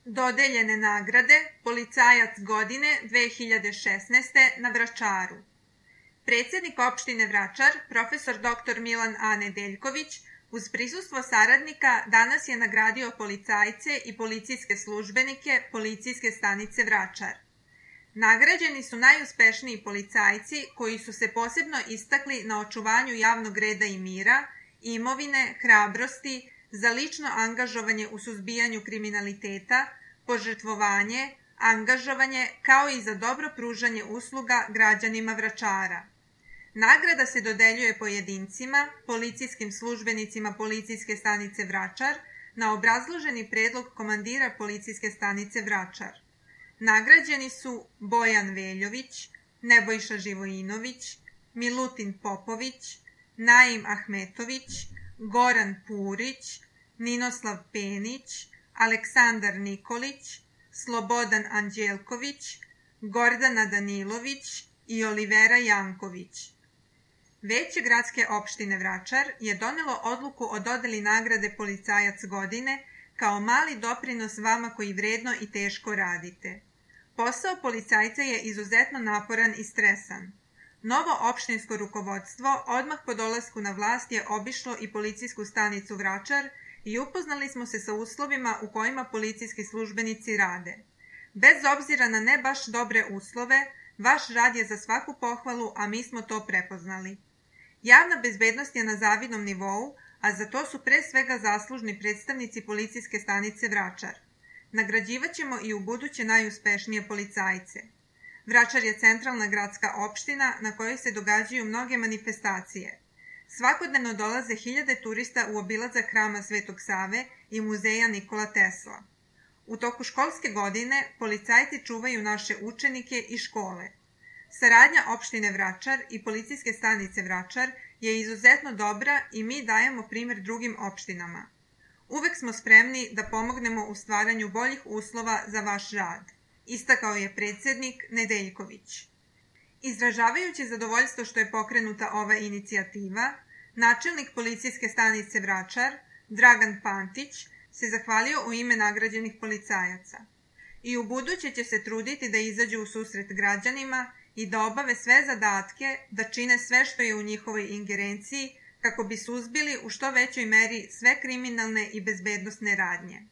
Dodeljene nagrade Policajac godine 2016. na Vračaru. Predsjednik opštine Vračar, profesor dr. Milan A. Nedeljković, uz prisustvo saradnika danas je nagradio policajce i policijske službenike Policijske stanice Vračar. Nagrađeni su najuspešniji policajci koji su se posebno istakli na očuvanju javnog reda i mira, imovine, hrabrosti, za lično angažovanje u suzbijanju kriminaliteta, požrtvovanje, angažovanje, kao i za dobro pružanje usluga građanima Vračara. Nagrada se dodeljuje pojedincima, policijskim službenicima Policijske stanice Vračar, na obrazloženi predlog komandira Policijske stanice Vračar. Nagrađeni su Bojan Veljović, Nebojša Živojinović, Milutin Popović, Naim Ahmetović, Goran Purić, Ninoslav Penić, Aleksandar Nikolić, Slobodan Anđelković, Gordana Danilović i Olivera Janković. Veće gradske opštine Vračar je donelo odluku o dodeli nagrade Policajac godine kao mali doprinos vama koji vredno i teško radite. Posao policajca je izuzetno naporan i stresan. Novo opštinsko rukovodstvo odmah po dolasku na vlast je obišlo i policijsku stanicu Vračar i upoznali smo se sa uslovima u kojima policijski službenici rade. Bez obzira na ne baš dobre uslove, vaš rad je za svaku pohvalu, a mi smo to prepoznali. Javna bezbednost je na zavidnom nivou, a za to su pre svega zaslužni predstavnici Policijske stanice Vračar. Nagrađivaćemo i u buduće najuspešnije policajce. Vračar je centralna gradska opština na kojoj se događaju mnoge manifestacije. Svakodnevno dolaze hiljade turista u obilazak hrama Svetog Save i muzeja Nikola Tesla. U toku školske godine policajci čuvaju naše učenike i škole. Saradnja opštine Vračar i Policijske stanice Vračar je izuzetno dobra i mi dajemo primjer drugim opštinama. Uvek smo spremni da pomognemo u stvaranju boljih uslova za vaš rad, istakao je predsjednik Nedeljković. Izražavajući zadovoljstvo što je pokrenuta ova inicijativa, načelnik Policijske stanice Vračar, Dragan Pantić, se zahvalio u ime nagrađenih policajaca. I u buduće će se truditi da izađu u susret građanima i da obave sve zadatke, da čine sve što je u njihovoj ingerenciji kako bi suzbili u što većoj meri sve kriminalne i bezbednosne radnje.